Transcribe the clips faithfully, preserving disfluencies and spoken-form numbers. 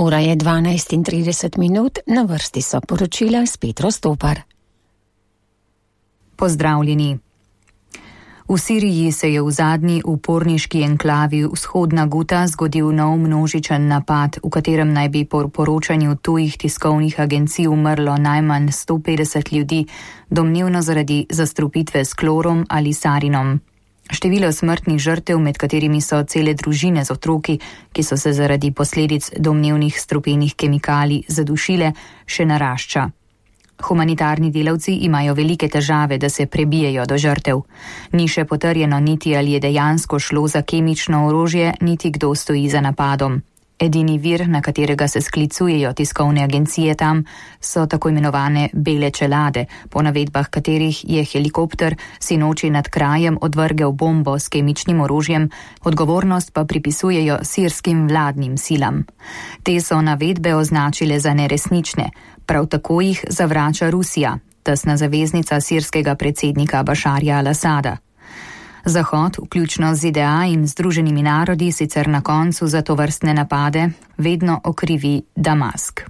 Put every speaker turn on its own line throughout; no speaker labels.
Ura je dvanajst in trideset minut, na vrsti so poročila s Petro Stopar.
Pozdravljeni. V Siriji se je v zadnji uporniški enklavi vzhodna Guta zgodil nov množičen napad, v katerem naj bi po poročanju tujih tiskovnih agencij umrlo najmanj sto petdeset ljudi, domnevno zaradi zastrupitve s klorom ali sarinom. Število smrtnih žrtev, med katerimi so cele družine z otroki, ki so se zaradi posledic domnevnih strupenih kemikalij zadušile, še narašča. Humanitarni delavci imajo velike težave, da se prebijejo do žrtev. Ni še potrjeno niti, ali je dejansko šlo za kemično orožje, niti kdo stoji za napadom. Edini vir, na katerega se sklicujejo tiskovne agencije tam, so tako imenovane bele čelade, po navedbah katerih je helikopter sinoči nad krajem odvrgel bombo s kemičnim orožjem, odgovornost pa pripisujejo sirskim vladnim silam. Te so navedbe označile za neresnične, prav tako jih zavrača Rusija, tesna zaveznica sirskega predsednika Bašarja al-Asada. Zahod, vključno z Z D A in Združenimi narodi, sicer na koncu za tovrstne napade vedno okrivi Damask.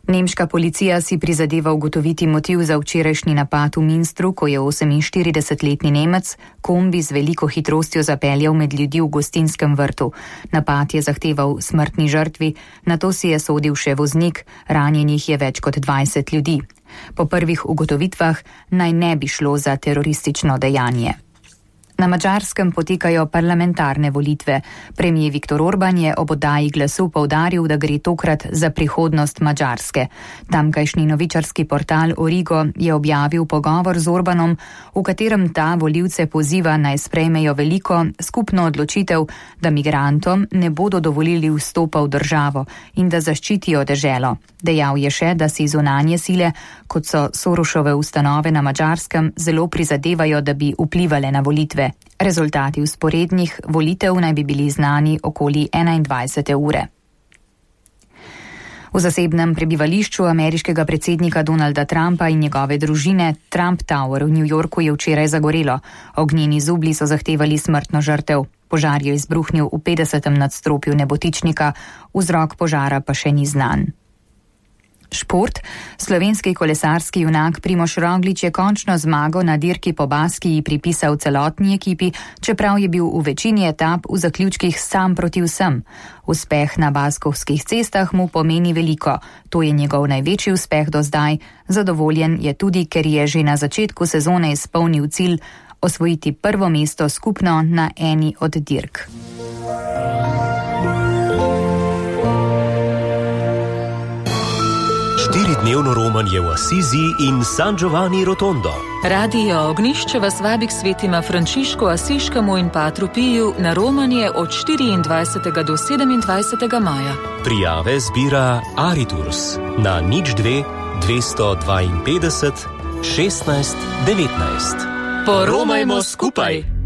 Nemška policija si prizadeva ugotoviti motiv za včerajšnji napad v Münstru, ko je oseminštiridesetletni Nemec kombi z veliko hitrostjo zapeljal med ljudi v gostinskem vrtu. Napad je zahteval smrtni žrtvi, nato si je sodil še voznik, ranjenih je več kot dvajset ljudi. Po prvih ugotovitvah naj ne bi šlo za teroristično dejanje. Na Madžarskem potekajo parlamentarne volitve. Premijer Viktor Orban je ob oddaji glasu poudaril, da gre tokrat za prihodnost Madžarske. Tamkajšnji novičarski portal Origo je objavil pogovor z Orbanom, v katerem ta volivce poziva naj sprejmejo veliko skupno odločitev, da migrantom ne bodo dovolili vstopa v državo in da zaščitijo deželo. Dejal je še, da si zunanje sile, kot so Sorošove ustanove na Madžarskem, zelo prizadevajo, da bi vplivale na volitve. Rezultati vzporednih volitev naj bi bili znani okoli enaindvajsete ure. V zasebnem prebivališču ameriškega predsednika Donalda Trumpa in njegove družine Trump Tower v New Yorku je včeraj zagorelo. Ognjeni zublji so zahtevali smrtno žrtev. Požar je izbruhnil v petdesetem nadstropju nebotičnika, vzrok požara pa še ni znan. Šport. Slovenski kolesarski junak Primož Roglič je končno zmago na dirki po Baskiji pripisal celotni ekipi, čeprav je bil v večini etap v zaključkih sam proti vsem. Uspeh na baskovskih cestah mu pomeni veliko. To je njegov največji uspeh do zdaj. Zadovoljen je tudi, ker je že na začetku sezone izpolnil cilj osvojiti prvo mesto skupno na eni od dirk.
Štiridnevno romanje v Asizi in San Giovanni Rotondo.
Radio Ognišče vas vabi k svetima Frančišku Asiškemu in Patru Piju na romanje od štiriindvajsetega do sedemindvajsetega maja.
Prijave zbira Ariturs na nič dve dvesto dvainpetdeset šestnajst devetnajst.
Poromajmo skupaj!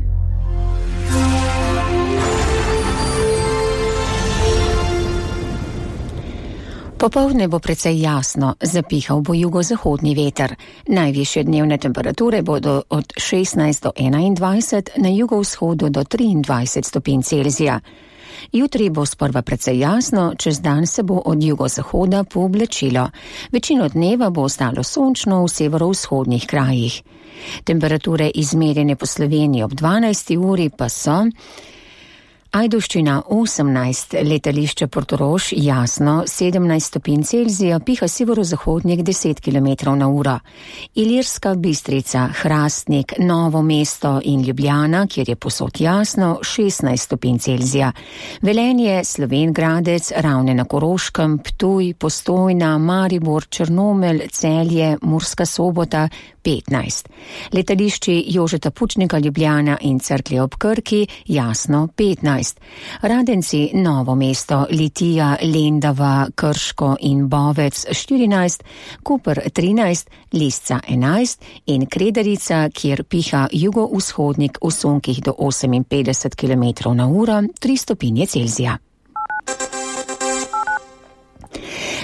Popoldne bo precej jasno, zapihal bo jugozahodni veter. Najvišje dnevne temperature bodo od šestnajst do enaindvajset, na jugovzhodu do triindvajset stopinj Celzija. Jutri bo sprva precej jasno, čez dan se bo od jugozahoda pooblačilo. Večino dneva bo ostalo sončno v severovzhodnih krajih. Temperature izmerjene po Sloveniji ob dvanajsti uri pa so: Ajdovščina osemnajst, letališče Portorož jasno sedemnajst stopinj Celzija, piha severozahodnik deset kilometrov na uro. Ilirska Bistrica, Hrastnik, Novo mesto in Ljubljana, kjer je posod jasno, šestnajst stopinj Celzija. Velenje, Slovenj Gradec, Ravne na Koroškem, Ptuj, Postojna, Maribor, Črnomelj, Celje, Murska Sobota, petnajst. Letališči Jožeta Pučnika, Ljubljana in Cerklje ob Krki, jasno petnajst. Radenci, Novo mesto, Litija, Lendava, Krško in Bovec štirinajst, Koper trinajst, Lisca enajst in Kredarica, kjer piha jugovzhodnik v sunkih do oseminpetdeset kilometrov na uro, tri stopinje Celzija.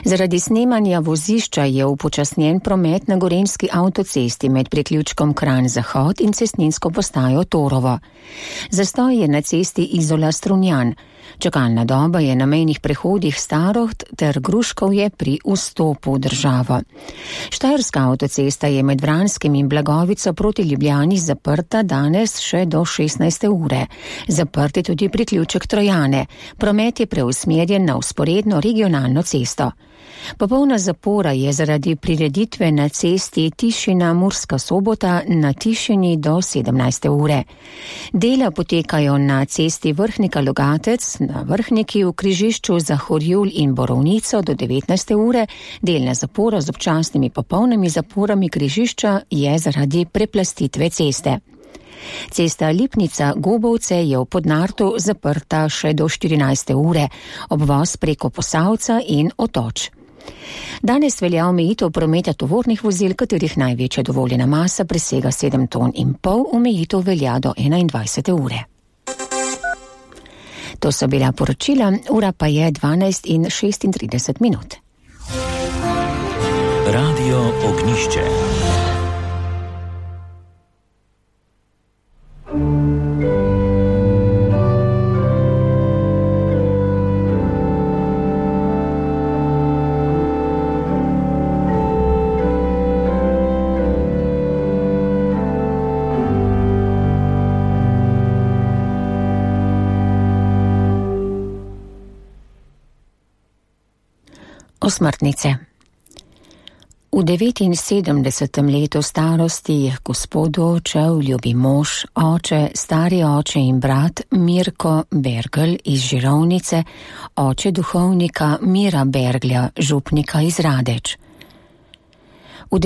Zaradi snemanja vozišča je upočasnjen promet na gorenjski avtocesti med priključkom Kranj-Zahod in cestninsko postajo Torovo. Zastoj je na cesti Izola-Strunjan. Čakalna doba je na mejnih prehodih Staroht ter Gruškovje pri vstopu v državo. Štajerska avtocesta je med Vranskim in Blagovico proti Ljubljani zaprta danes še do šestnajste ure. Zaprt je tudi priključek Trojane. Promet je preusmerjen na vzporedno regionalno cesto. Popolna zapora je zaradi prireditve na cesti Tišina-Murska Sobota na Tišini do sedemnajste ure. Dela potekajo na cesti Vrhnika-Logatec, na Vrhniki v križišču za Horjul in Borovnico do devetnajste ure. Delna zapora z občasnimi popolnimi zaporami križišča je zaradi preplastitve ceste. Cesta Lipnica-Gobovce je v Podnartu zaprta še do štirinajste ure, obvoz preko Posavca in Otoč. Danes velja omejitev prometa tovornih vozil, katerih največja dovoljena masa presega sedem ton in pol, omejitev velja do enaindvajsete ure. To so bila poročila, ura pa je dvanajst in šestintrideset minut.
Radio Ognišče.
Osmrtnice. V devetinsedemdesetem letu starosti je gospodu odšel ljubi mož, oče, stari oče in brat Mirko Bergl iz Žirovnice, oče duhovnika Mira Berglja, župnika iz Radeč. V